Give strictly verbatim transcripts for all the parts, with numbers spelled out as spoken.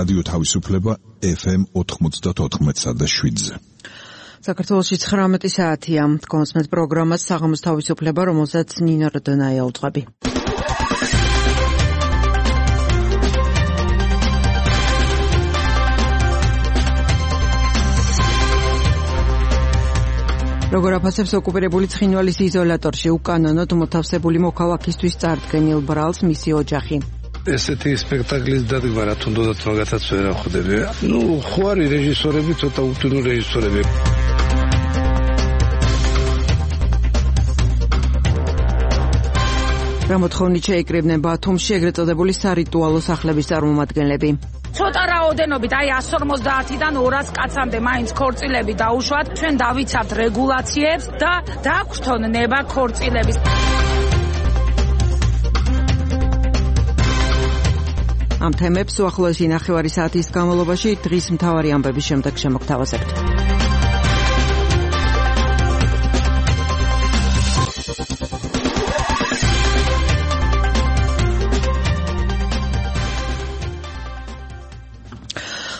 რადიო თავისუფლება ეფ ემ ოთხმოცდაოთხ და შვიდზე. საქართველოში ცხრამეტი საათია. კონსმეთ პროგრამას საღამოს თავისუფლება, რომელსაც ნინო როდონაია უძღვები. როგორ აფასებს ოკუპირებული ცხინვალის იზოლატორში უკანონოდ მოთავსებული მოქალაქისთვის წარდგენილ ბრალს მისი ოჯახი. ესეთი სპექტაკლის დადგმა რა თუნდაც მაგათაც ვერ ახვდები. ნუ ხო არის რეჟისორები, ცოტა უთუნო რეჟისორები. რა მოთხოვნით შეიკრიბნენ ბათუმში ეგრეთ წოდებული სარიტუალო სახლების წარმომადგენლები. ცოტა რაოდენობით, აი εκατს ორმოცდაათიდან ორას კაცამდე მაინც ქორწილები დაუშვათ, ჩვენ დავიცავთ რეგულაციებს და დაგვთონ ნება ქორწილების. ამ თემებს უახლოესი ნახევარი საათის განმავლობაში დღის მთავარი ამბების შემდეგ შემოგთავაზებთ.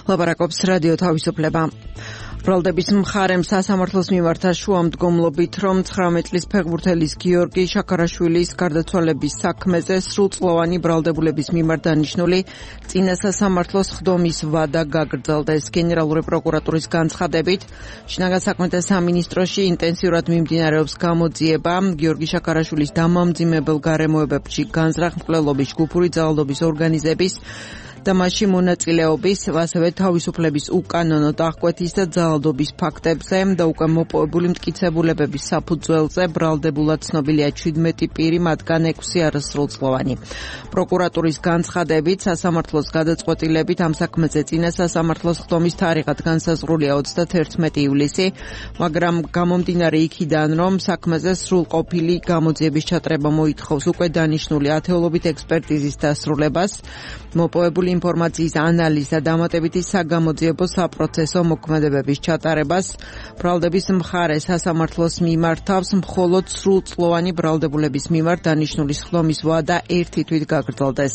ლაპარაკობს რადიო თავისუფლება. ბრალდების მხარემ სასამართლოს მიმართა შუამდგომლობით, რომ ცხრამეტ წლის ფეხბურთელის გიორგი შაქარაშვილის გარდაცვალების საქმეზე სრულწლოვანი ბრალდებულების მიმართ დანიშნული წინა სასამართლოს სხდომის ვადა გაგრძელდეს. გენერალური პროკურატურის განცხადებით, შინაგან საქმეთა სამინისტროში ინტენსიურად მიმდინარეობს გამოძიება გიორგი შაქარაშვილის დამამძიმებელ გარემოებებში განზრახ მკვლელობის, ჯგუფური ძალადობის ორგანიზების და მასში მონაწილეობის, ასევე თავისუფლების უკანონო დახკვეთის და ძალადობის ფაქტებზე და უკვე მოპოვებული მტკიცებულებების საფუძველზე ბრალდებულად ცნობილია ჩვიდმეტი პირი, მათგან ექვსი არასრულწლოვანი. პროკურატურის განცხადებით, სასამართლოს გადაწყვეტილებით ამ საქმეზე წინა სასამართლოს სხდომის თარიღად განსაზღვრულია ოცდაათერთმეტი ივლისი, მაგრამ გამომდინარე იქიდან, რომ საქმეზე სრულყოფილი გამოძიების ჩატარება მოითხოვს უკვე დანიშნული ათეულობით ექსპერტიზის დასრულებას, მოპოვებული ინფორმაციის ანალიზს და დამატებითი საგამოძიებო საპროცესო მოქმედებების ჩატარებას, ბრალდების მხარე სასამართლოს მიმართავს მხოლოდ სრულწლოვანი ბრალდებულების მიმართ დანიშნული სხდომის ვადა ერთი თვით გაგრძელდეს.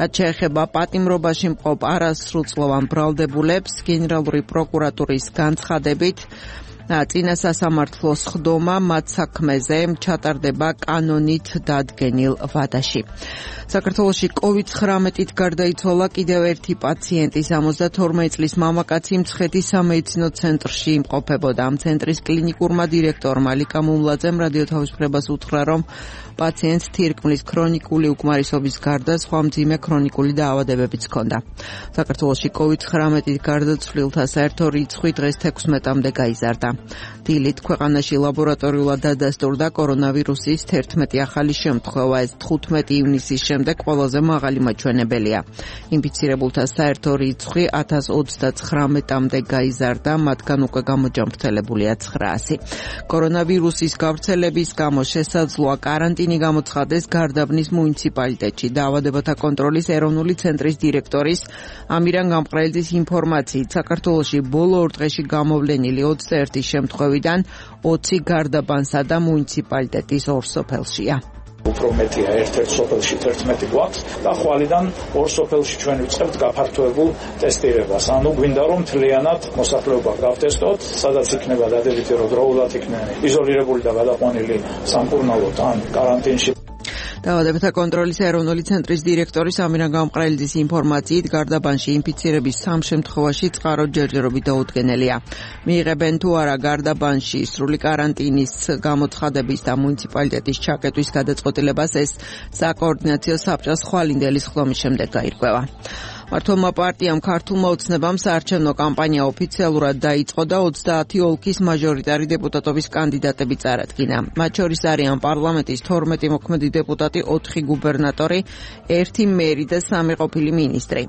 რაც შეეხება პატიმრობაში მყოფ არასრულწლოვან ბრალდებულებს, გენერალური პროკურატურის განცხადებით, წინა სასამართლოს სხდომა მათ საქმეზე ჩატარდება კანონით დადგენილ ვადაში. საქართველოში კოვიდ ცხრამეტით გარდაიცვალა კიდევ ერთი პაციენტი, სამოცდათორმეტ წლის მამაკაცი მცხეთის სამედიცინო ცენტრში იმყოფებოდა. ამ ცენტრის კლინიკურმა დირექტორმა ლიკა მუმლაძემ რადიო თავისუფლებას უთხრა, რომ პაციენტს თირკმლის ქრონიკული უკმარისობის გარდა სხვა მძიმე ქრონიკული დაავადებებიც ჰქონდა. საქართველოში კოვიდ ცხრამეტით გარდაცვლილთა საერთო რიცხვი დღეს თექვსმეტამდე გაიზარდა. დილით ქვეყანაში ლაბორატორიულად დადასტურდა კორონავირუსის თერთმეტი ახალი შემთხვევა, ეს თხუთმეტი ივნისის შემდეგ ყველაზე მაღალი მაჩვენებელია. ინფიცირებულთა საერთო რიცხვი ათას ოცდაცხრამეტამდე გაიზარდა, მათგან უკვე გამოჯამრთელებულია ცხრაასი. კორონავირუსის გავრცელების გამო შესაძლოა კარანტინი გამოცხადდეს გარდაბნის მუნიციპალიტეტში. დაავადებათა კონტროლის ეროვნული ცენტრის დირექტორის ამირან გამყრელიძის ინფორმაციით, საქართველოში ბოლო ორ დღეში გამოვლენილი ოცდაერთი შემთხვევიდან ოცი გარდაბანსა და მუნიციპალიტეტის ორ სოფელშია. უფრო მეტია ერთ-ერთ სოფელში თერთმეტი გვაქვს და ხვალიდან ორ სოფელში ჩვენ ვიწყებთ გაფართოებულ ტესტირებას. ანუ გვინდა რომ მთლიანად მოსახლეობა გავტესტოთ, სადაც იქნება დადებითი, რომ დროულად იქნება იზოლირებული და გადაყვანილი სამკურნალოდ ან კარანტინში. დაავადებათა კონტროლის ეროვნული ცენტრის დირექტორის ამირან გამყრელიძის ინფორმაციით, გარდაბანში ინფიცირების სამ შემთხვევაში წყარო ჯერჯერობით დაუდგენელია. მიიღებენ თუ არა გარდაბანში სრული კარანტინის გამოცხადების და მუნიციპალიტეტის ჩაკეტვის გადაწყვეტილებას, ეს საკოორდინაციო საბჭოს ხვალინდელი სხდომის შემდეგ გაირკვევა. მართლმა პარტიამ ქართულმა ოცნებამ საარჩევნო კამპანია ოფიციალურად დაიწყო და ოცდაათი ოლქის მაჟორიტარი დეპუტატობის კანდიდატები წარადგინა. მათ შორის არიან პარლამენტის თორმეტი მოქმედი დეპუტატი, ოთხი გუბერნატორი, ერთი მერი და სამი ყოფილი მინისტრი.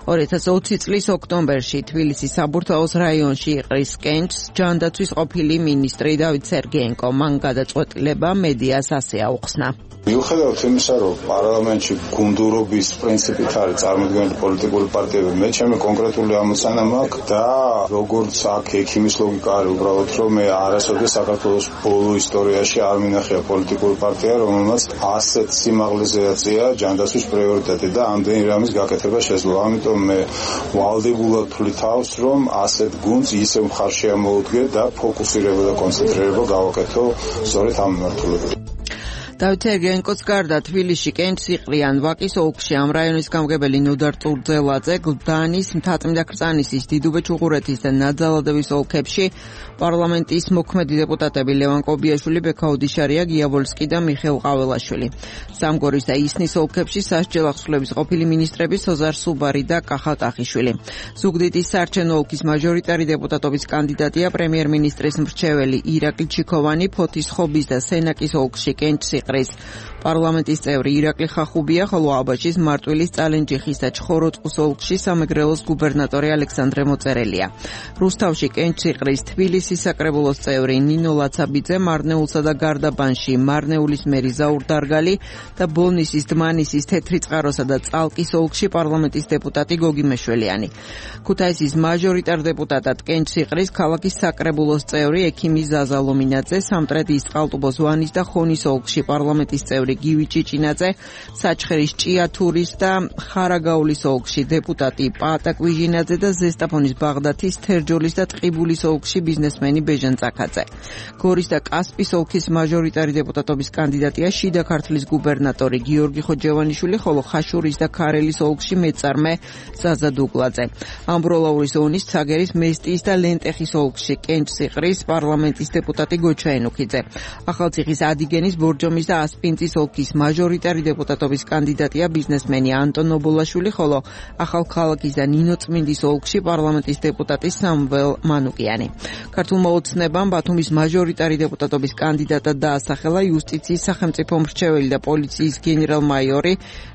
ორი ათას ოცი წლის ოქტომბერში თბილისის საბურთალოს რაიონში იყრის კენჭს ჯანდაცვის ყოფილი მინისტრი დავით სერგეენკო. მან გადაწყვეტილება მედიას ასე აუხსნა. მიუხედავად იმისა, რომ პარლამენტში გუნდურობის პრინციპით არის წარმოდგენილი პოლიტიკური პარტიები, მე ჩემი კონკრეტული ამოცანა მაქვს და როგორც აქ ექიმის ლოგიკა არის უბრალოდ, რომ მე არასოდეს საქართველოს ბოლო ისტორიაში არ მინახია პოლიტიკური პარტია, რომელმაც ასეთ სიმაღლეზე აწია ჯანდაცვის პრიორიტეტი და ამდენი რამის გაკეთება შეძლო. ამიტომ ამიტომ მე ვალდებულად ვთვლი თავს, რომ ასეთ გუნდს ისევ მხარს შემოვდგე და ფოკუსირება და კონცენტრირება გავაკეთო სწორედ ამ მიმართულებით. დავით ერგენკოც გარდა თბილისში, კენჭსიყრიან, ვაკის ოლქში ამ რაიონის გამგებელი ნოდარ ტურძელაძე, გლდანის, მთაწმინდა ქრწანისის, დიდუბე ჩუღურეთის და ნაძალადევის ოლქებში პარლამენტის მოქმედი დეპუტატები ლევან კობიაშვილი, ბექა ოდიშარია, გია ვოლსკი და მიხეილ ყაველაშვილი. სამგორის და ისნის ოლქებში სასჯელ ახსვლების ყოფილი მინისტრები სოზარ სუბარი და კახა ტახიშვილი. ზუგდიდის საარჩევნო ოლქის მაჟორიტარი დეპუტატობის კანდიდატია პრემიერ-მინისტრის მრჩეველი ირაკლი ჩიქოვანი, ფოთის ხობის და სენაკის ოლქში კენჭსიყრის პარლამენტის წევრი ირაკლი ხახუბია, ხოლო აბაშის, მარტვილის, წალენჯიხის და ჩხოროწყუს ოლქში სამეგრელოს გუბერნატორი ალექსანდრე მოწერელია. რუსთავში, კენჭსიყრის, თბილისის საკრებულოს წევრი ნინო ლაცაბიძე, მარნეულსა და გარდაბანში მარნეულის მერი ზაურ დარგალი და ბოლნისის, დმანისის, თეთრიწყაროსა და წალკის ოლქში პარლამენტის დეპუტატი გოგი მეშველიანი. ქუთაისის მაჟორიტარ დეპუტატად კენჭსიყრის ქალაქის საკრებულოს წევრი ექიმი ზაზა ლომინაძე, სამტრედიის, წყალტუბოს, ვანის და ხონის ოლქში პარლამენტის წევრი გივი ჭიჭინაძე, საჩხერის, ჭიათურის და ხარაგაულის ოლქში დეპუტატი პაატა კვიჟინაძე და ზესტაფონის, ბაღდათის, თერჯოლის და ტყიბულის ოლქში ბიზნესმენი ბეჟან წაკაძე. გორის და კასპის ოლქის მაჟორიტარი დეპუტატობის კანდიდატია შიდა ქართლის გუბერნატორი გიორგი ხოჯევანიშვილი, ხოლო ხაშურის და ქარელის ოლქში მეწარმე ზაზა დუგლაძე. ამბროლაურის ოვნის, ცაგერის, მესტიის და ლენტეხის ოლქში კენჭსიყრის პარლამენტის დეპუტატი გოჩა ენუქიძე. ახალციხის, ადიგენის, ბორჯომის და ასპინძის ოლქის მაჟორიტარი დეპუტატობის კანდიდატია ბიზნესმენი ანტონ ობოლაშვილი, ხოლო ახალქალაქის და ნინოწმინდის ოლქში პარლამენტის დეპუტატი სამվել მანუკიანი. ქართულმა ოცნებამ ბათუმის მაჟორიტარი დეპუტატობის კანდიდატად დაასახელა იუსტიციის სახელმწიფო მრჩეველი და პოლიციის გენერალ-მაიორი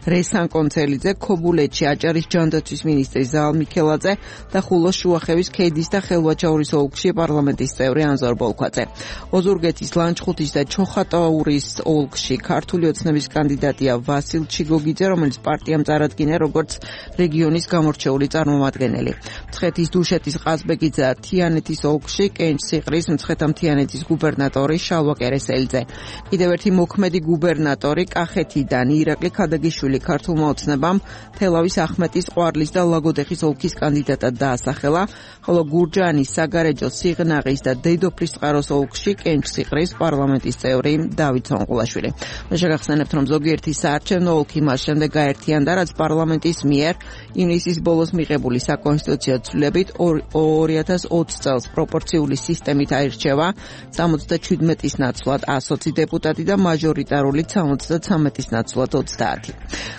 რესან კონცელიძე, ქობულეთში აჭარის ჯანდაცვის მინისტრი ზაალ მიქელაძე და ხულოს, შუახევის, ქედის და ხელვაჩაურის ოლქში პარლამენტის წევრი ანზორ ბოლქვაძე. ოზურგეთის, ლანჩხუთის და ჩოხატაურის ოლქში ქართული ოცნების კანდიდატია ვასილ ჩიგოგიძე, რომელიც პარტიამ წარადგინა როგორც რეგიონის გამორჩეული წარმომადგენელი. მცხეთის, დუშეთის, ყაზბეგის და თიანეთის ოლქში კენჭსიყრის, მცხეთა-მთიანეთის გუბერნატორი შალვა კერესელიძე. კიდევ ერთი მოქმედი გუბერნატორი კახეთიდან ირაკლი ქადაგიშვილი ქართულმა ოცნებამ თელავის, ახმეტის, ყვარლის და ლაგოდეხის ოლქის კანდიდატად დაასახელა, ხოლო გურჯაანის, საგარეჯოს, სიღნაღის და დედოფლისწყაროს ოლქში კენჭსიყრის პარლამენტის წევრი დავით სონყულაშვილი. შეგახსენებთ, რომ ზოგიერთი საარჩევნო ოლქი მას შემდეგ გაერთიანდა, რაც პარლამენტის მიერ ივნისის ბოლოს მიღებული საკონსტიტუციო ცვლილებით ორი ათას ოცი წელს პროპორციული სისტემით აირჩევა სამოცდაჩვიდმეტის ნაცვლად ასოცი დეპუტატი და მაჟორიტარულით სამოცდათვრამეტის ნაცვლად ოცდაათი.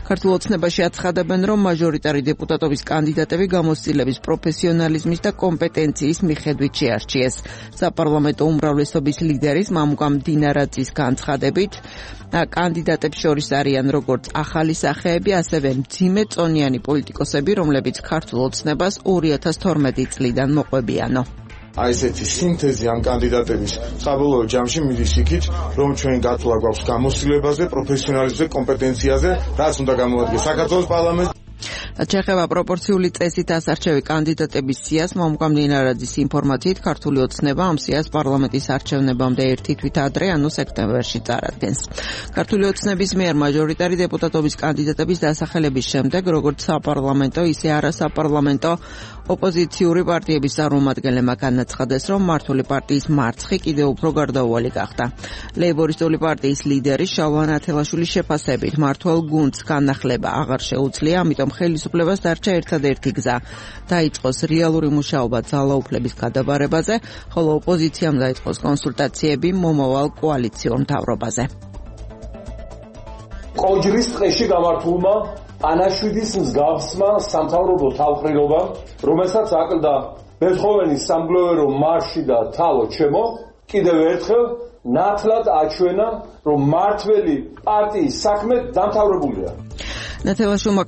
ქართულ ოცნებაში აცხადებენ, რომ მაჟორიტარი დეპუტატობის კანდიდატები გამოცდილების, პროფესიონალიზმის და კომპეტენციის მიხედვით შეარჩიეს. საპარლამენტო უმრავლესობის ლიდერის მამუკამ დინარაძის განცხადებით, კანდიდატებს შორის არიან როგორც ახალი სახეები, ასევე მძიმე წონიანი პოლიტიკოსები, რომლებიც ქართულ ოცნებას ორი ათას თორმეტი წლიდან მოყვებიანო. აი ესეთი სინთეზი ამ კანდიდატების საბოლოო ჯამში მიდის იქით, რომ ჩვენ გათვლა გვაქვს გამოცდილებაზე, პროფესიონალიზმზე, კომპეტენციაზე, რაც უნდა გამოადგეს საქართველოს პარლამენტს. ჩეხება პროპორციული წესით ასარჩევი კანდიდატების სიას მამუკამ დინარაძის ინფორმაციით ქართული ოცნება ამ სიას პარლამენტის არჩევნებამდე ერთი თვით ადრე, ანუ სექტემბერში წარადგენს. ქართული ოცნების მიერ მაჟორიტარი დეპუტატობის კანდიდატების დასახელების შემდეგ, როგორც საპარლამენტო, ისე არასაპარლამენტო ოპოზიციური პარტიების წარმომადგენლებმა განაცხადეს, რომ მართული პარტიის მარცხი კიდევ უფრო გარდაუვალი გახდა. ლეიბორისტული პარტიის ლიდერი შალვა ათელაშვილის შეფასებით, მართულ გუნდს განახლება აღარ შეუძლია, ამიტომ ხელისუფლებას დარჩა ერთადერთი გზა, დაიწყოს რეალური მუშაობა ძალაუფლების გადაბარებაზე, ხოლო ოპოზიციამ დაიწყოს კონსულტაციები მომავალ კოალიციურ მთავრობაზე. კოჯრის ტყეში გამართულმა ანაშვიდის მსგავსმა სამთავრობო თავყრილობამ, რომელსაც აკლდა ბეთჰოვენის სამგლოვერო მარში და თალო ჩემო, კიდევ ერთხელ ნათლად აჩვენა, რომ მართველი პარტიის საქმე დამთავრებულია. ნათელაშვილმა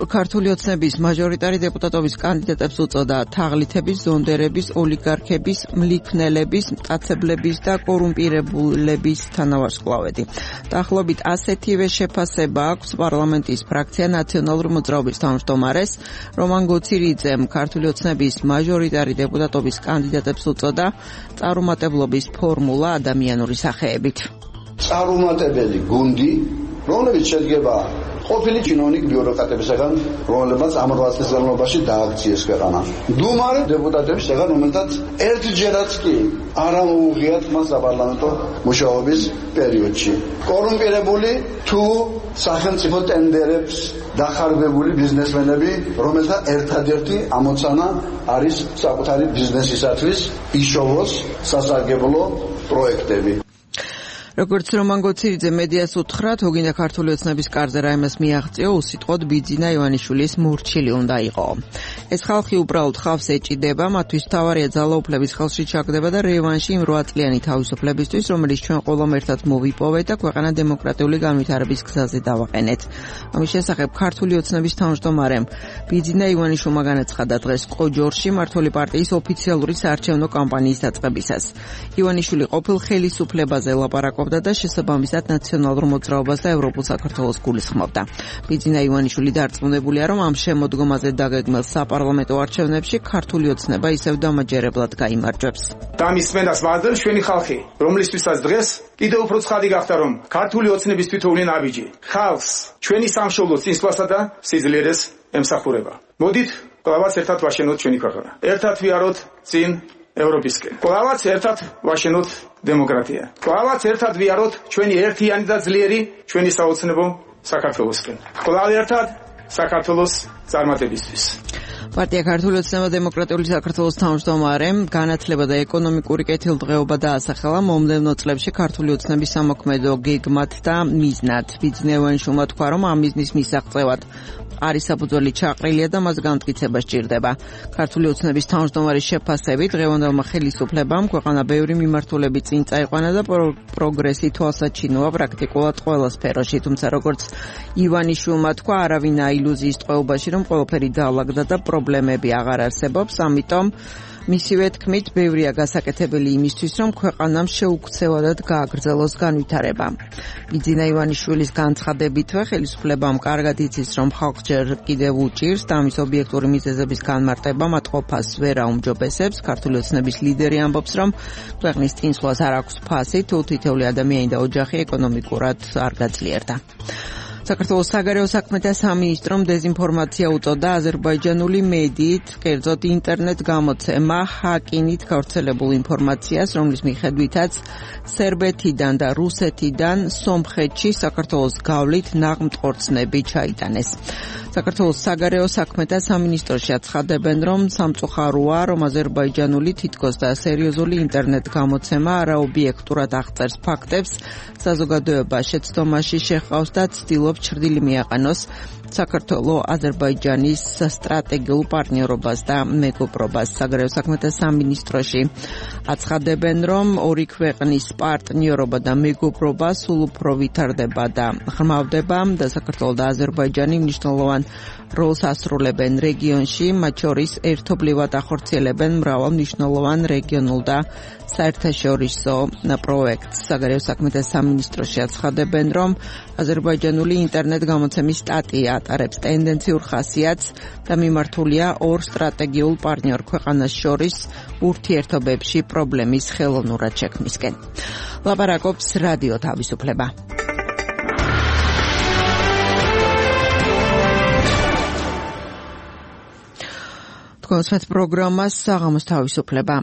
ქართული ოცნების მაჟორიტარი დეპუტატობის კანდიდატებს უწოდა თაღლითების, ზონდერების, ოლიგარქების, მლიქნელების, მტაცებლების და კორუმპირებულების თანავარსკვლავედი. დაახლოებით ასეთივე შეფასება აქვს პარლამენტის ფრაქცია ნაციონალური მოძრაობის თავმჯდომარეს რომან გოცირიძემ ქართული ოცნების მაჟორიტარი დეპუტატობის კანდიდატებს უწოდა წარუმატებლობის ფორმულა ადამიანური სახეებით. წარუმატებელი გუნდი, რომლებიც შედგება ყოფილი ჩინოვნიკ ბიუროკრატებისგან, რომლებმაც ამ რვა წლის განმავლობაში დააქციეს ქვეყანა. მდუმარე დეპუტატებისგან, რომელთაც ერთჯერაც კი არ ამოუღიათ მას საპარლამენტო მუშაობის პერიოდში. კორუმპირებული თუ სახელმწიფო ტენდერებს დახარბებული ბიზნესმენები, რომელთა ერთადერთი ამოცანა არის საკუთარი ბიზნესისათვის იშოვოს სასარგებლო პროექტები. როგორც რომან გოცირიძე მედიას უთხრა, თუ გინდა ქართული ოცნების კარზე რაიმეს მიაღწიო, უსიტყვოდ ბიძინა ივანიშვილის მორჩილი უნდა იყო. ეს ხალხი უბრალოდ ხავს ეჭიდება, მათთვის თავარია ძალაუფლების ხელში ჩაგდება და რევანში იმ რვა წლიანი თავისუფლებისთვის, რომელიც ჩვენ ყველამ ერთად მოვიპოვეთ და ქვეყანა დემოკრატიული განვითარების გზაზე დავაყენეთ. ამის შესახებ ქართული ოცნების თავმჯდომარემ ბიძინა ივანიშვილმა განაცხადა დღეს ყოჯორში მმართველი პარტიის ოფიციალური საარჩევნო კამპანიის დაწყებისას. ივანიშვილი ყოფილ ხელისუფლებაზე ლაპარაკობდა და შესაბამისად ნაციონალურ მოძრაობას და ევროპულ საქართველოს გულისხმობდა. ბიძინა ივანიშვილი დარწმუნებულია, რომ ამ შემოდგომაზე დაგეგმილ საპარლამენტო არჩევნებში ქართული ოცნება ისევ დამაჯერებლად გაიმარჯვებს. დამისმენას ვაძლევს ჩვენი ხალხი, რომლისთვისაც დღეს კიდევ უფრო ცხადი გახდა, რომ ქართული ოცნების თითოეული ნაბიჯი ხალხს, ჩვენი სამშობლოს წინსვლასა და სიძლიერეს ემსახურება. მოდით, ყველაც ერთად ვაშენოთ ჩვენი ქვეყანა. ერთად ვიაროთ წინ ევროპისკენ. ყველაც ერთად ვაშენოთ დემოკრატია. ყველაც ერთად ვიაროთ ჩვენი ერთიანი და ძლიერი ჩვენი საოცნებო საქართველოსკენ. ყველას ერთად საქართველოს წარმატებისთვის. პარტია ქართული ოცნება დემოკრატიული საქართველოს თავმჯდომარემ განათლება და ეკონომიკური კეთილდღეობა დაასახელა მომდევნო წლებში ქართული ოცნების სამოქმედო გეგმად და მიზნად. ბიძინა ივანიშვილმა თქვა, რომ ამ მიზნის მისაღწევად არის საფუძველი ჩაყრილია და მას განმტკიცება სჭირდება. ქართული ოცნების თავმჯდომარის შეფასებით დღევანდელმა ხელისუფლებამ ქვეყანა ბევრი მიმართულებით წინ წაიყვანა და პროგრესი თვალსაჩინოა პრაქტიკულად ყველა სფეროში, თუმცა როგორც ივანიშვილმა თქვა, არავინ აილუზიის ტყვეობაში, რომ ყველაფერი დაალაგდა და პრობლემები აღარ არსებობს, ამიტომ მისივე თქმით, ბევრია გასაკეთებელი იმისთვის, რომ ქვეყანამ შეუქცევადად გააგრძელოს განვითარება. ბიძინა ივანიშვილის განცხადებითვე ხელისუფლებამ კარგად იცის, რომ ხალხს ჯერ კიდევ უჭირს და ამის ობიექტური მიზეზების განმარტება მათყოფას ვერ აუმჯობესებს. ქართული ოცნების ლიდერი ამბობს, რომ ქვეყნის წინსვლას არ აქვს ფასი, თუ თითოეული ადამიანი და ოჯახი ეკონომიკურად არ გაძლიერდა. საქართველოს საგარეო საქმეთა სამინისტრომ დეზინფორმაცია უწოდა აზერბაიჯანული მედიით, კერძოდ ინტერნეტ გამოცემა ჰაკინით გავრცელებულ ინფორმაციას, რომლის მიხედვითაც სერბეთიდან და რუსეთიდან სომხეთში საქართველოს გავლით ნაღმტყორცნები ჩაიტანეს. საქართველოს საგარეო საქმეთა სამინისტროში აცხადებენ, რომ სამწუხაროა, რომ აზერბაიჯანული თითქოს და სერიოზული ინტერნეტ გამოცემა არაობიექტურად აღწერს ფაქტებს, საზოგადოება შეცდომაში შეჰყავს და ცდილობს ჩრდილი მიაყენოს საქართველოს აზერბაიჯანის სტრატეგიულ პარტნიორობას და მეგობრობას. საგარეო საქმეთა სამინისტროში აცხადებენ, რომ ორი ქვეყნის პარტნიორობა და მეგობრობა სულ უფრო ვითარდება და ღრმავდება და საქართველოს და აზერბაიჯანი მნიშვნელოვან როლს ასრულებენ რეგიონში, მათ შორის ერთობლივად ახორციელებენ მრავალ მნიშვნელოვან რეგიონულ და საერთაშორისო პროექტს. საგარეო საქმეთა სამინისტროში აცხადებენ, რომ აზერბაიჯანული ინტერნეტ გამოცემის სტატია ატარებს ტენდენციურ ხასიათს და მიმართულია ორ სტრატეგიულ პარტნიორ ქვეყანას შორის ურთიერთობებში პრობლემის ხელოვნურად შექმნისკენ. ლაპარაკობს რადიო თავისუფლება. კონსერტ პროგრამას საღამოს თავისუფლება.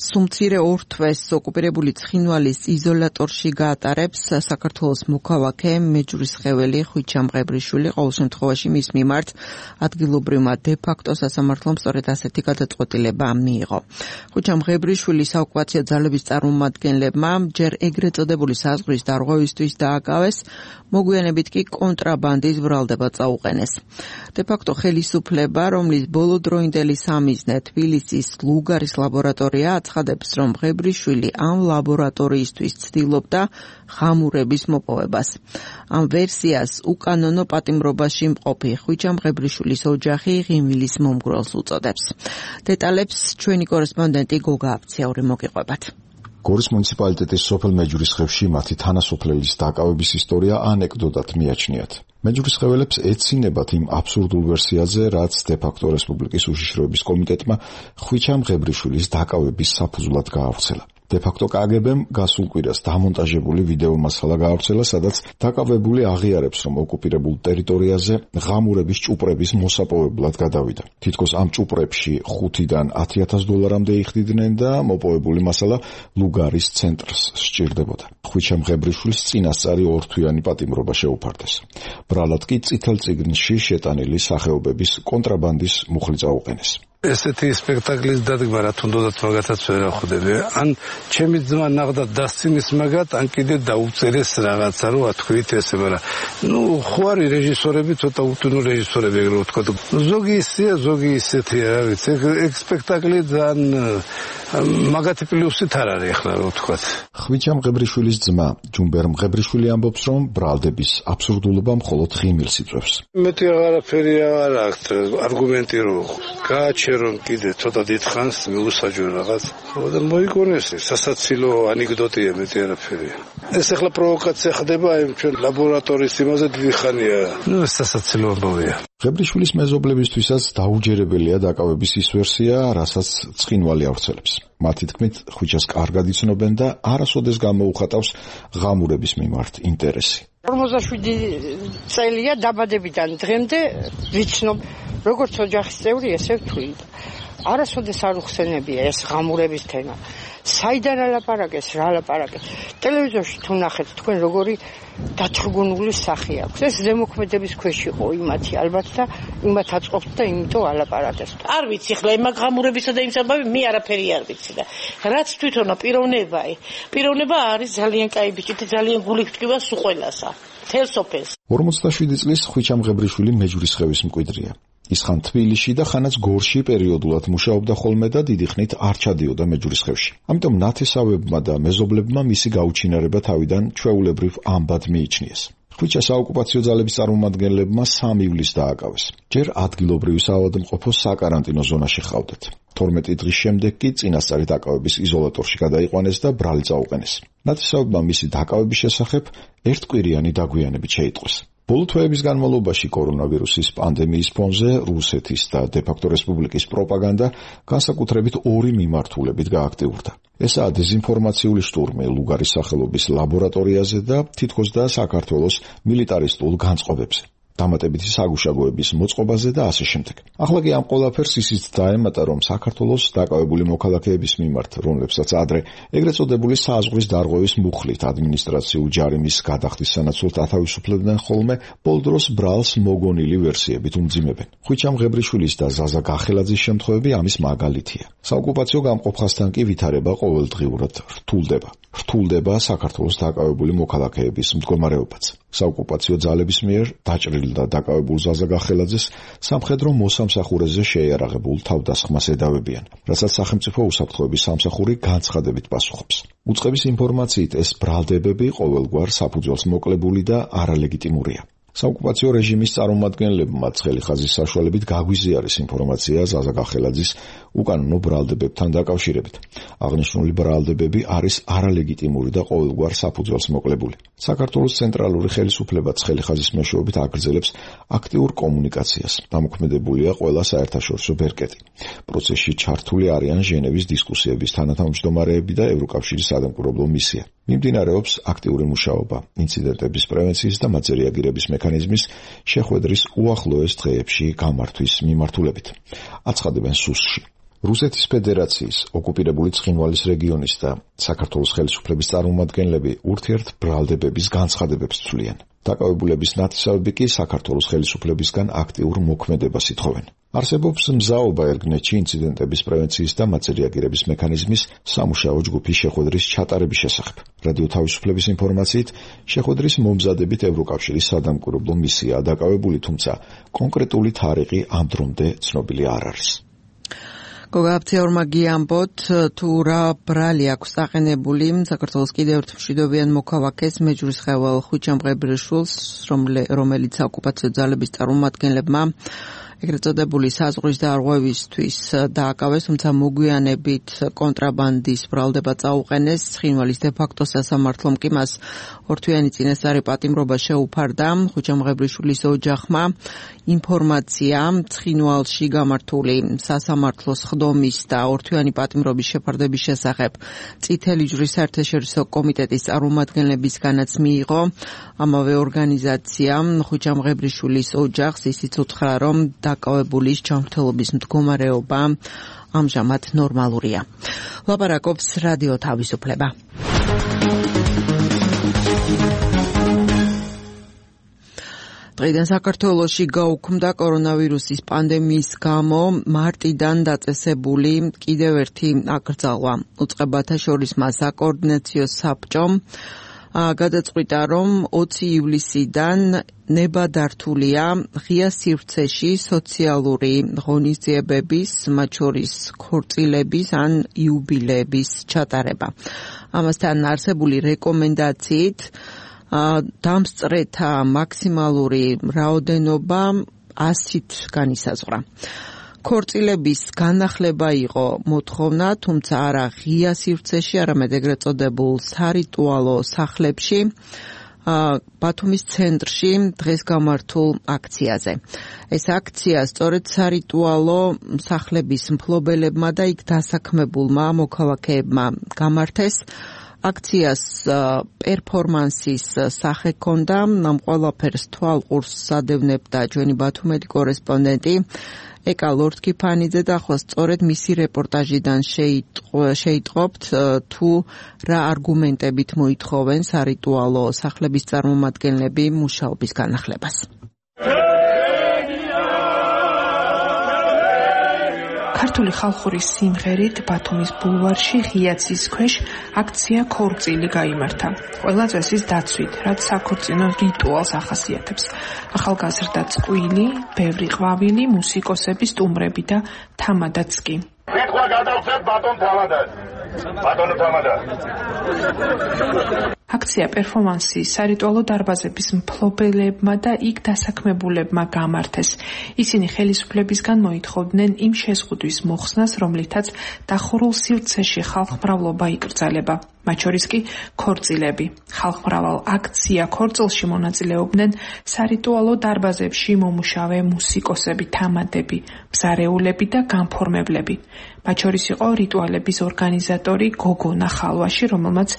სუმცირე ორ თვეს ოკუპირებული ცხინვალის იზოლატორში გაატარებს საქართველოს მოქალაქე მეჯვრისხეველი ხვიჩა მღებრიშვილი. ყოველ შემთხვევაში მის მიმართ ადგილობრივმა დე-ფაქტო სასამართლომ სწორედ ასეთი გადაწყვეტილება მიიღო. ხვიჩა მღებრიშვილი საოკუპაციო ძალების წარმომადგენლებმა ჯერ ეგრეთ წოდებული საზღვრის დარღვევისთვის დააკავეს, მოგვიანებით კი კონტრაბანდის ბრალდება წაუყენეს. დე-ფაქტო ხელისუფლება, რომლის ბოლოდროინდელი სამიზნე თბილისის ლუგარის ლაბორატორია, აცხადებს, რომ მღებრიშვილი ამ ლაბორატორიისთვის ცდილობდა ხამურების მოპოვებას. ამ ვერსიას უკანონო პატიმრობაში მყოფი ხვიჩა მღებრიშვილის ოჯახი ღიმილის მომგვრელს უწოდებს. დეტალებს ჩვენი კორესპონდენტი გოგა აფციური მოგიყვებათ. გორის მუნიციპალიტეტის სოფელ მეჯვრისხევში მათი თანასოფლელის დაკავების ისტორია ანეკდოტად მიაჩნიათ. მეჯვრისხეველებს ეცინებათ იმ აბსურდულ ვერსიაზე, რაც დე-ფაქტო რესპუბლიკის უშიშროების კომიტეტმა ხვიჩა მღებრიშვილის დაკავების საფუძვლად გაავრცელა. დე-ფაქტო კაგებემ გასულ კვირას დამონტაჟებული ვიდეო მასალა გაავრცელა, სადაც დაკავებული აღიარებს, რომ ოკუპირებულ ტერიტორიაზე ღამურების ჭუპრების მოსაპოვებლად გადავიდა. თითქოს ამ ჭუპრებში ხუთიდან ათი ათას დოლარამდე იხდიდნენ და მოპოვებული მასალა ლუგარის ცენტრს სჭირდებოდა. ხვიჩა მღებრიშვილის წინასწარი ორთვიანი პატიმრობა შეუფარდეს. ბრალად კი წითელ წიგნში შეტანილი სახეობების კონტრაბანდის მუხლი წაუყენეს. ესეთი სპექტაკლის დადგმა რა თუნდაც მაგათაც ვერ ახვდები. ან ჩემი ძმა ნახდათ დასცინის მაგათ, ან კიდე დაუწერეს რაღაცა, რომ ათქვით ესე, მაგრამ ნუ ხო არის რეჟისორები, ცოტა უთუნო რეჟისორები ეგრე ვთქვა. ზოგი ისეა, ზოგი ისეთია, რა ვიცი. ეგ სპექტაკლი ძალიან მაგათი პლუსით არ არის ახლა რა ვთქვათ. ხვიჩა მღებრიშვილის ძმა ჯუმბერ მღებრიშვილი ამბობს, რომ ბრალდების აბსურდულობა მხოლოდ ღიმილს იწვევს. მეტი აღარაფერი არ აქვს არგუმენტი რომ გააჩერონ კიდე ცოტა დიდხანს მიუსაჯო რაღაც. და მოიგონეს სასაცილო ანეკდოტია მეტი არაფერია. ეს ახლა პროვოკაცია ხდება იმ ჩვენ ლაბორატორიის იმაზე დიდი ხანია. ნუ სასაცილო ამბავია. მღებრიშვილის მეზობლებისთვისაც დაუჯერებელია დაკავების ის ვერსია, რასაც ცხინვალი ავრცელებს. მათი თქმით, ხვიჩას კარგად იცნობენ და არასოდეს გამოუხატავს ღამურების მიმართ ინტერესი. ორმოცდაშვიდი წელია დაბადებიდან დღემდე ვიცნობ, როგორც ოჯახის წევრი, ესე ვთვლი. არასოდეს არ უხსენებია ეს ღამურების თემა. საიდან ალაპარაკეს, რა ალაპარაკეს. ტელევიზორში თუ ნახეთ, თქვენ როგორი დათრგუნული სახე აქვს. ეს ზემოქმედების ქვეშ იყო იმათი ალბათ და იმათ აწყობთ და იმიტომ ალაპარაკეს. არ ვიცი ხლა იმ ღამურებისა და იმ საბაბი მე არაფერი არ ვიცი და რაც თვითონა პიროვნებაა. პიროვნება არის ძალიან კაი ბიჭი და ძალიან გული გტკივა სულ ყველასა. თელს სოფელს. ორმოცდაშვიდი წლის ხვიჩა მღებრიშვილი მეჯვრისხევის მკვიდრია. ის ხან თბილისში და ხანაც გორში პერიოდულად მუშაობდა ხოლმე და დიდი ხნით არ ჩადიოდა მეჯვრისხევში. ამიტომ ნათესავებმა და მეზობლებმა მისი გაუჩინარება თავიდან ჩვეულებრივ ამბად მიიჩნიეს. ხვიჩა საოკუპაციო ძალების წარმომადგენლებმა სამ ივლისს დააკავეს. ჯერ ადგილობრივი საავადმყოფოს საკარანტინო ზონაში ჰყავდათ. თორმეტი დღის შემდეგ კი წინასწარი დაკავების იზოლატორში გადაიყვანეს და ბრალი წაუყენეს. ნათესავებმა მისი დაკავების შესახებ ერთკვირიანი დაგვიანებით შეიტყვეს. ბოლო თვეების განმავლობაში კორონავირუსის პანდემიის ფონზე რუსეთის და დე-ფაქტო რესპუბლიკის პროპაგანდა განსაკუთრებით ორი მიმართულებით გააქტიურდა. ესაა დეზინფორმაციული შტურმი ლუგარის სახელობის ლაბორატორიაზე და თითქოს და საქართველოს მილიტარისტულ განწყობებზე. დამატებითი საგუშაგოების მოწყობაზე და ასე შემდეგ. ახლა კი ამ ყველაფერს ისიც დაემატა, რომ საქართველოს დაკავებული მოქალაქეების მიმართ, რომლებსაც ადრე ეგრეთ წოდებული საზღვრის დარღვევის მუხლით ადმინისტრაციულ ჯარიმის გადახდის სანაცვლოდ ათავისუფლებდნენ ხოლმე, ბოლდროს ბრალს მოგონილი ვერსიებით უმძიმებენ. ხვიჩა მღებრიშვილის და ზაზა გახელაძის შემთხვევები ამის მაგალითია. საოკუპაციო გამყოფასთან კი ვითარება ყოველდღიურად რთულდება. რთულდება საქართველოს დაკავებული მოქალაქეების მდგომარეობაც. საოკუპაციო ძალების მიერ დაჭრილ და დაკავებულ ზაზა გახელაძეს სამხედრო მოსამსახურეზე შეიარაღებულ თავდასხმას ედავებიან, რასაც სახელმწიფო უსაფრთხოების სამსახური განცხადებით პასუხობს. უწყების ინფორმაციით ეს ბრალდებები ყოველგვარ საფუძველს მოკლებული და არალეგიტიმურია. საოკუპაციო რეჟიმის წარმომადგენლებმა ცხელი ხაზის საშუალებით გაგვიზიარეს ინფორმაცია ზაზა გახელაძის უკანონო ბრალდებებთან დაკავშირებით. აღნიშნული ბრალდებები არის არალეგიტიმური და ყოველგვარ საფუძველს მოკლებული. საქართველოს ცენტრალური ხელისუფლება ცხელი ხაზის მეშვეობით აგრძელებს აქტიურ კომუნიკაციას. დამოქმედებულია ყველა საერთაშორისო ბერკეტი. პროცესში ჩართული არიან ჟენევის დისკუსიების თანათავმჯდომარეები და ევროკავშირის სადამკვირვებლო მისია. მიმდინარეობს აქტიური მუშაობა ინციდენტების პრევენციის და მათზე რეაგირების მექანიზმის შეხვედრის უახლოეს დღეებში გამართვის მიმართულებით. აცხადებენ სუსში. რუსეთის ფედერაციის ოკუპირებული ცხინვალის რეგიონის და საქართველოს ხელისუფლების წარმომადგენლები ურთიერთ ბრალდებების განცხადებებს ცვლიან. დაკავებულების ნათესავები კი საქართველოს ხელისუფლებისგან აქტიურ მოქმედებას ითხოვენ. არსებობს მზაობა ერგნეთში ინციდენტების პრევენციის და მათზე რეაგირების მექანიზმის სამუშაო ჯგუფის შეხვედრის ჩატარების შესახებ. რადიო თავისუფლების ინფორმაციით, შეხვედრის მომზადებით ევროკავშირის სადამკვირვებლო მისიაა დაკავებული, თუმცა კონკრეტული თარიღი ამ დრომდე ცნობილი არ არის. გოგაფცეორმა გიამბოთ თუ რა ბრალი აქვს დაყენებული საქართველოს კიდევ ერთ მშვიდობიან მოქალაქეს მეჯვრისხევალ ხვიჩა მღებრიშვილს, რომელიც ოკუპაციო ძალების წარმომადგენლებმა ეგრეთ წოდებული საზღვრის დარღვევისთვის დააკავეს, თუმცა მოგვიანებით კონტრაბანდის ბრალდება წაუყენეს. ცხინვალის დე-ფაქტო სასამართლომ კი მას ორთვიანი წინასწარი პატიმრობა შეუფარდა. ხუჩამღებრიშვილის ოჯახმა ინფორმაცია ცხინვალში გამართული სასამართლოს ხდომის და ორთვიანი პატიმრობის შეფარდების შესახებ წითელი ჯვრის საერთაშორისო კომიტეტის წარმომადგენლებისგანაც მიიღო. ამავე ორგანიზაციამ ხუჩამღებრიშვილის ოჯახს ისიც უთხრა, რომ დაკავებულის ჯანმრთელობის მდგომარეობა ამჟამად ნორმალურია. ლაპარაკობს რადიო თავისუფლება. დღიდან საქართველოში გაუქმდა კორონავირუსის პანდემიის გამო მარტიდან დაწესებული კიდევ ერთი აკრძალვა. უწყებათა შორის მას საკოორდინაციო საბჭომ გადაწყვიტა, რომ ოცი ივლისიდან ნებადართულია ღია სივრცეში სოციალური ღონისძიებების, მათ შორის ქორწილების ან იუბილეების ჩატარება. ამასთან არსებული რეკომენდაციით დამსწრეთა მაქსიმალური რაოდენობა ასით განისაზღვრა. ქორწილების განახლება იყო მოთხოვნა, თუმცა არა ღია სივრცეში, არამედ ეგრეთ წოდებულ სარიტუალო სახლებში, ბათუმის ცენტრში დღეს გამართულ აქციაზე. ეს აქცია სწორედ სარიტუალო სახლების მფლობელებმა და იქ დასაქმებულმა მოქალაქეებმა გამართეს. აქციას პერფორმანსის სახე ჰქონდა, ამ ყველაფერს თვალყურს ადევნებდა ჩვენი ბათუმელი კორესპონდენტი ეკა ლორთქიფანიძე და ახლა სწორედ მისი რეპორტაჟიდან შეიტყობთ თუ რა არგუმენტებით მოითხოვენ სარიტუალო სახლების წარმომადგენლები მუშაობის განახლებას. ქართული ხალხური სიმღერით ბათუმის ბულვარში ღიაცის ქვეშ აქცია ქორწილი გაიმართა. ყველა წესის დაცვით, რაც საქორწინო რიტუალს ახასიათებს. ახალგაზრდა წყვილი, ბევრი ყვავილი, მუსიკოსები, სტუმრები და თამადაც კი. სიტყვა გადავწევ ბატონ თამადას. ბატონო თამადა. აქცია პერფორმანსი სარიტუალო დარბაზების მფლობელებმა და იქ დასაქმებულებმა გამართეს. ისინი ხელისუფლებისგან მოითხოვდნენ იმ შეზღუდვის მოხსნას, რომლითაც დახურულ სივრცეში ხალხმრავლობა იკრძალება. მათ შორის კი ქორწილები. ხალხმრავალ აქცია ქორწილში მონაწილეობდნენ სარიტუალო დარბაზებში მომუშავე მუსიკოსები, თამადები, მზარეულები და განფორმებლები. მათ შორის იყო რიტუალების ორგანიზატორი გოგონა ხალვაში, რომელმაც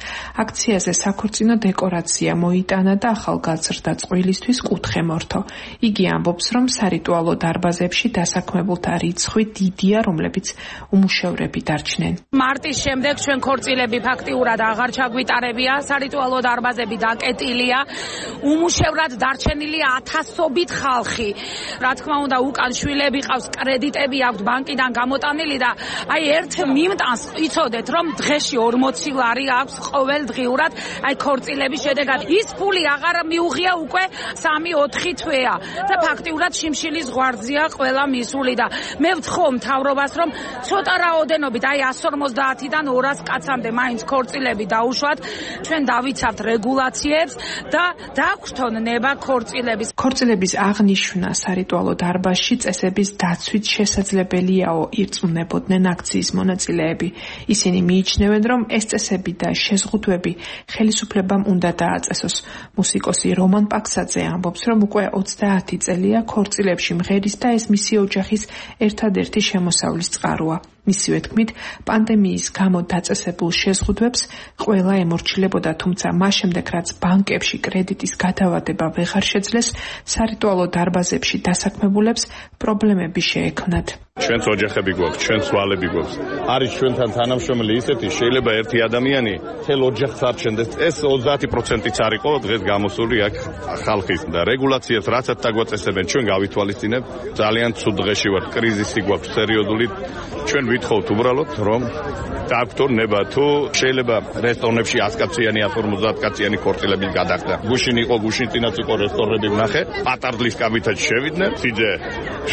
აქციაზე საქორწინო დეკორაცია მოიტანა და ახალგაზრდა წყვილისთვის კუთხე მორთო. იგი ამბობს, რომ სარიტუალო დარბაზებში დასაქმებულთა რიცხვი დიდია, რომლებიც უმუშევრები დარჩნენ. მარტის შემდეგ ჩვენ ქორწილები ფაქტიურად აღარ ჩაგვიტარებია, სარიტუალო დარბაზები დაკეტილია, უმუშევრად დარჩენილია ათასობით ხალხი. რა თქმა უნდა, უკან შვილები ყავს, კრედიტები აქვთ ბანკიდან გამოტანილი და აი ერთ მიმტანს იცოდეთ, რომ დღეში ორმოცი ლარი აქვს ყოველდღიურად აი ქორწილების შედეგად. ის ფული აღარ მიუღია უკვე სამი ოთხი თვეა და ფაქტიურად შიმშილის ღვარზია ყველა მისული და მე ვთხოვ მთავრობას, რომ ცოტა რაოდენობით აი εκατს ორმოცდაათიდან ორას კაცამდე მაინც ქორწილები დაუშვათ, ჩვენ დავიცავთ რეგულაციებს და დაგვხდონ ნება ქორწილების. ქორწილების აღნიშვნა სარიტუალო დარბაზში წესების დაცვით შესაძლებელიაო ირწმუნებოდნენ აქციის მონაწილეები. ისინი მიიჩნევენ, რომ ეს წესები და შეზღუდვები ხელისუფლებამ უნდა დააწესოს. მუსიკოსი რომან პაქსაძე ამბობს, რომ უკვე ოცდაათი წელია ქორწილებში მღერის და ეს მისი ოჯახის ერთადერთი შემოსავლის წყაროა. მისივე თქმით, პანდემიის გამო დაწესებულ შეზღუდვებს ყველა ემორჩილებოდა, თუმცა მას შემდეგ, რაც ბანკებში კრედიტის გადავადება ვეღარ შეძლეს, სარიტუალო დარბაზებში დასაქმებულებს პრობლემები შეექმნათ. ჩვენც ოჯახები გვაქვს, ჩვენც ვალები გვაქვს. არის ჩვენთან თანამშრომელი ისეთი, შეიძლება ერთი ადამიანი თელ ოჯახს არჩენდეს. ეს ოცდაათი პროცენტიც არ იყო დღეს გამოსული აქ ხალხის და რეგულაციებს რაცაც დაგვაწესებენ, ჩვენ გავითვალისწინებთ. ძალიან ცუდ დღეში ვართ, კრიზისი გვაქვს სერიოზული. ჩვენ ვითხოვთ უბრალოდ, რომ დაგვთორ ნება თუ შეიძლება რესტორნებში ათი კაციანი, ათი ორმოცდაათი კაციანი ქორწილები გადახდა. გუშინ იყო, გუშინ წინაც იყო რესტორნები ვნახე, პატარდლის კაბითაც შევიდნენ, სიძე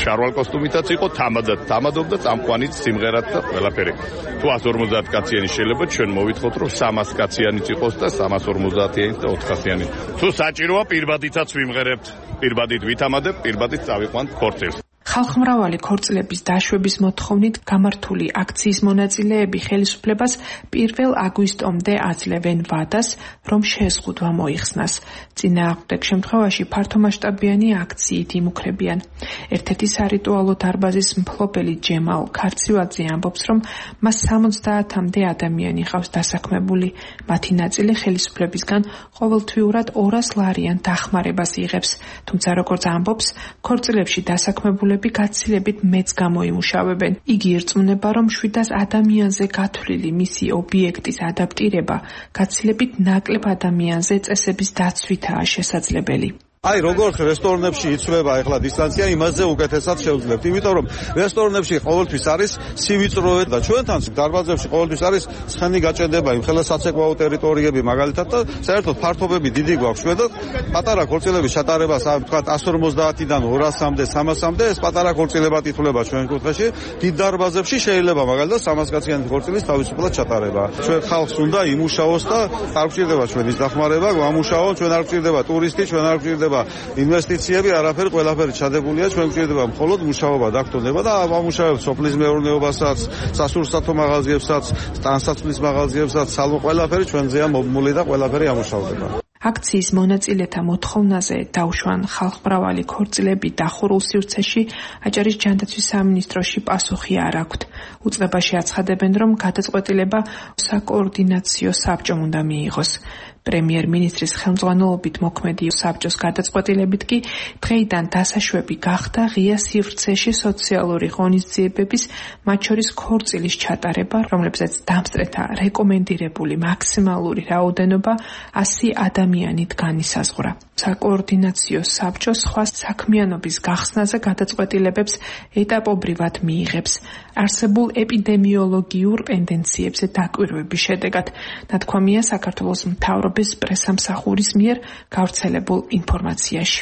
შარვალ კოსტუმითაც იყო, თამადაც თამადობდა, წამყვანიც სიმღერად და ყველაფერი. თუ ათი ორმოცდაათი კაციანი შეიძლება, ჩვენ მოვითხოვთ, რომ სამას კაციანიც იყოს და სამას ორმოცდაათიანი და ოთხასიანი. თუ საჭიროა, პირბადითაც ვიმღერებთ, პირბადით ვითამადებ, პირბადით წავიყვანთ ქორწილს. ხალხმრავალი ქორწილების დაშვების მოთხოვნით გამართული აქციის მონაწილეები ხელისუფლებას პირველ აგვისტომდე აძლევენ ვადას, რომ შეზღუდვა მოიხსნას. წინააღმდეგ შემთხვევაში ფართომასშტაბიანი აქციით იმუქრებიან. ერთ-ერთი სარიტუალო დარბაზის მფლობელი ჯემალ ქარცივალძე ამბობს, რომ მას სამოცდაათამდე ადამიანი ყავს დასაქმებული. მათი ნაწილი ხელისუფლებისგან ყოველთვიურად ორას ლარიან დახმარებას იღებს. თუმცა როგორც ამბობს, ქორწილებში დასაქმებულები გაცილებით მეც გამოიმუშავებენ. იგი ირწმუნება, რომ შვიდას ადამიანზე გათვლილი მისი ობიექტის ადაპტირება გაცილებით ნაკლებ ადამიანზე წესების დაცვითაა შესაძლებელი. აი როგორც რესტორნებში იცვლება ახლა დისტანცია, იმაზე უკეთესად შევძლებთ, იმიტომ რომ რესტორნებში ყოველთვის არის სივიწროვე და ჩვენთან დარბაზებში ყოველთვის არის ცხენი გაჭედება, იმ ხელა საცეკვაო ტერიტორიები მაგალითად და საერთოდ ფართობები დიდი გვაქვს ჩვენ და პატარა ქორწილების ჩატარებას თქვა εκατს ორმოცდაათიდან ორასამდე, სამასამდე ეს პატარა ქორწილებად ითვლება ჩვენ კუთხეში. დიდ დარბაზებში შეიძლება მაგალითად სამას კაციანი ქორწილის თავისუფლად ჩატარება. ჩვენ ხალხს უნდა იმუშაოს და არ გვჭირდება ჩვენის დახმარება, გამუშაო, ჩვენ არ გვჭირდება ტურისტი, ჩვენ არ გვჭირდება ინვესტიციები, არაფერი, ყველაფერი ჩადებულია, ჩვენ გვჭირდება მხოლოდ მუშაობა დაგტოვნება და ამუშავებთ სოფლის მეურნეობასაც, სასურსათო მაღაზიებსაც, ტანსაცმლის მაღაზიებსაც, სალო ყველაფერი ჩვენზეა მომული და ყველაფერი ამუშავდება. აქციის მონაწილეთა მოთხოვნაზე დაუშვან ხალხმრავალი ქორწილები დახურულ სივრცეში აჭარის ჯანდაცვის სამინისტროში პასუხი არ აქვთ. უწყებაში აცხადებენ, რომ გადაწყვეტილება საკოორდინაციო საბჭომ უნდა მიიღოს. პრემიერ-მინისტრის ხელმძღვანელობით მოქმედი საბჭოს გადაწყვეტილებით კი დღეიდან დასაშვები გახდა ღია სივრცეში სოციალური ღონისძიებების, მათ შორის ქორწილის ჩატარება, რომლებზეც დამსწრეთა რეკომენდირებული მაქსიმალური რაოდენობა ასი ადამიანით განისაზღვრა. საკოორდინაციო საბჭო სხვა საქმიანობის გახსნაზე გადაწყვეტილებებს ეტაპობრივად მიიღებს. არსებულ ეპიდემიოლოგიურ ტენდენციებზე დაკვირვების შედეგად ნათქვამია საქართველოს მთავრობის პრესამსახურის მიერ გავრცელებულ ინფორმაციაში.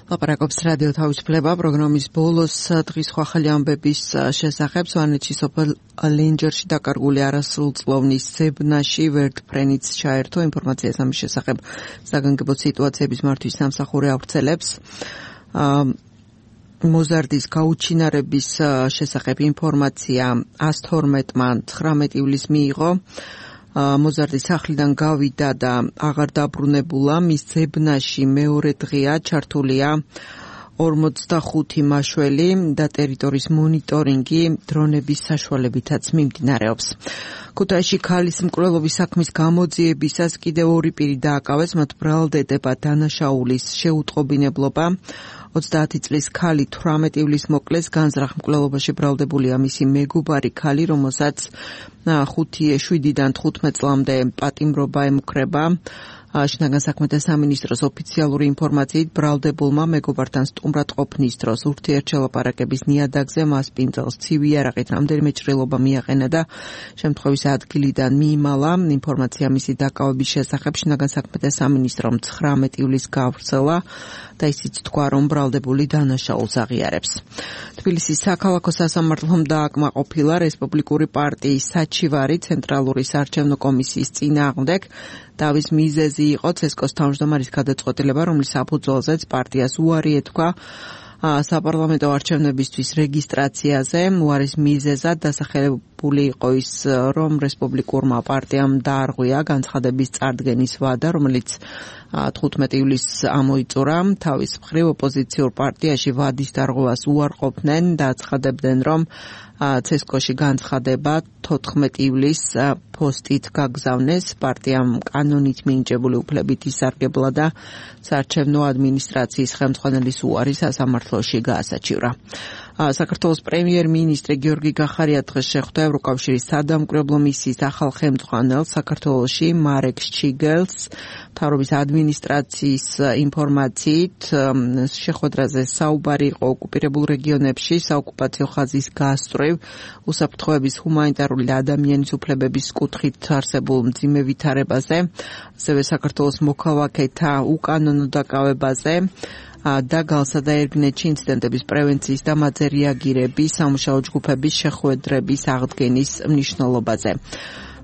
ლაპარაკობს რადიო თავისუფლება პროგრამის ბოლოს დღის ხალხი ამბების შესახებ სვანეთში სოფელ ლენჯერში დაკარგული არასრულწლოვნის ზებნაში ვერტფრენიც ჩაერთო. ინფორმაციას ამის შესახებ საგანგებო სიტუაციების მართვის სამსახური ავრცელებს. მოზარდის გაუჩინარების შესახებ ინფორმაცია ას თორმეტმა ცხრამეტ ივლისს მიიღო. მოზარდის სახლიდან გავიდა და აღარ დაბრუნებულა. მის ზებნაში მეორე დღეა ჩართულია ორმოცდახუთი მაშველი და ტერიტორიის მონიტორინგი დრონების საშუალებითაც მიმდინარეობს. ქუთაისში ქალის მკვლელობის საქმის გამოძიებისას კიდევ ორი პირი დააკავეს, მათ ბრალდებება დანაშაულის შეუტყობინებლობა. ოცდაათი წლის ქალი თვრამეტ ივლისს მოკლეს, განზრახ მკვლელობაში ბრალდებულია მისი მეგობარი ქალი, რომელსაც ხუთი შვიდიდან თხუთმეტ წლამდე პატიმრობა ემუქრება. შინაგან საქმეთა სამინისტროს ოფიციალური ინფორმაციით ბრალდებულმა მეგობართან სტუმრად ყოფნის დროს ურთიერთშელაპარაკების ნიადაგზე მას პინძელს ცივი იარაღით რამდენიმე ჭრილობა მიაყენა და შემთხვევის ადგილიდან მიიმალა. ინფორმაცია მისი დაკავების შესახებ შინაგან საქმეთა სამინისტრომ ცხრამეტ ივლისს გაავრცელა და ისიც თქვა, რომ ბრალდებული დანაშაულს აღიარებს. თბილისის საქალაქო სასამართლომ დააკმაყოფილა რესპუბლიკური პარტიის საჩივარი ცენტრალური საარჩევნო კომისიის წინააღმდეგ. დავის მიზეზი იყო ცესკოს თავმჯდომარის გადაწყვეტილება, რომლის საფუძველზეც პარტიას უარი ეთქვა საპარლამენტო არჩევნებისთვის რეგისტრაციაზე. უარის მიზეზად დასახელებული იყო ის, რომ რესპუბლიკურმა პარტიამ დაარღვია განცხადების წარდგენის ვადა, რომელიც თხუთმეტ ივლისს ამოიწურა. თავის მხრივ ოპოზიციურ პარტიაში ვადის დარღვევას უარყოფდნენ და აცხადებდნენ, რომ ცესკოში განცხადება თოთხმეტ ივლისს პოსტით გაგზავნეს. პარტიამ კანონით მინიჭებული უფლებით ისარგებლა და საარჩევნო ადმინისტრაციის ხელმძღვანელის უარი სასამართლოში გაასაჩივრა. საქართველოს პრემიერ-მინისტრი გიორგი გახარია დღეს შეხვდა ევროკავშირის სადამკვირვებლო მისიის ახალ ხელმძღვანელს საქართველოში მარეკ შჩიგელს. მთავრობის ადმინისტრაციის ინფორმაციით შეხვედრაზე საუბარი იყო ოკუპირებულ რეგიონებში საოკუპაციო ხაზის გასწვრივ, უსაფრთხოების ჰუმანიტარული და ადამიანის უფლებების კუთხით არსებულ მძიმე ვითარებაზე, ასევე საქართველოს მოქალაქეთა უკანონო დაკავებაზე და გალსა და ერგნეთში ინციდენტების პრევენციის და მათზე რეაგირების სამუშაო ჯგუფების შეხვედრების აღდგენის მნიშვნელობაზე.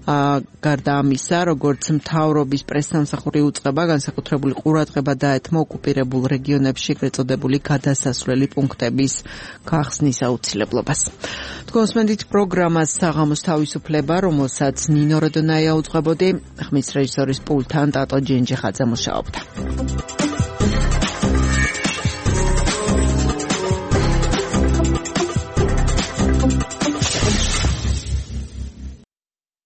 გარდა ამისა, როგორც მთავრობის პრესსამსახური უწყება განსაკუთრებული ყურადღება დაეთმო ოკუპირებულ რეგიონებში ეგრეთ წოდებული გადასასვლელი პუნქტების გახსნის აუცილებლობას. თქვენს მენდით პროგრამას საღამოს თავისუფლება, რომელსაც ნინო როდონაია უძღვებოდი, ხმის რეჟისორის პულტთან ტატო ჯენჯიხაძე მუშაობდა.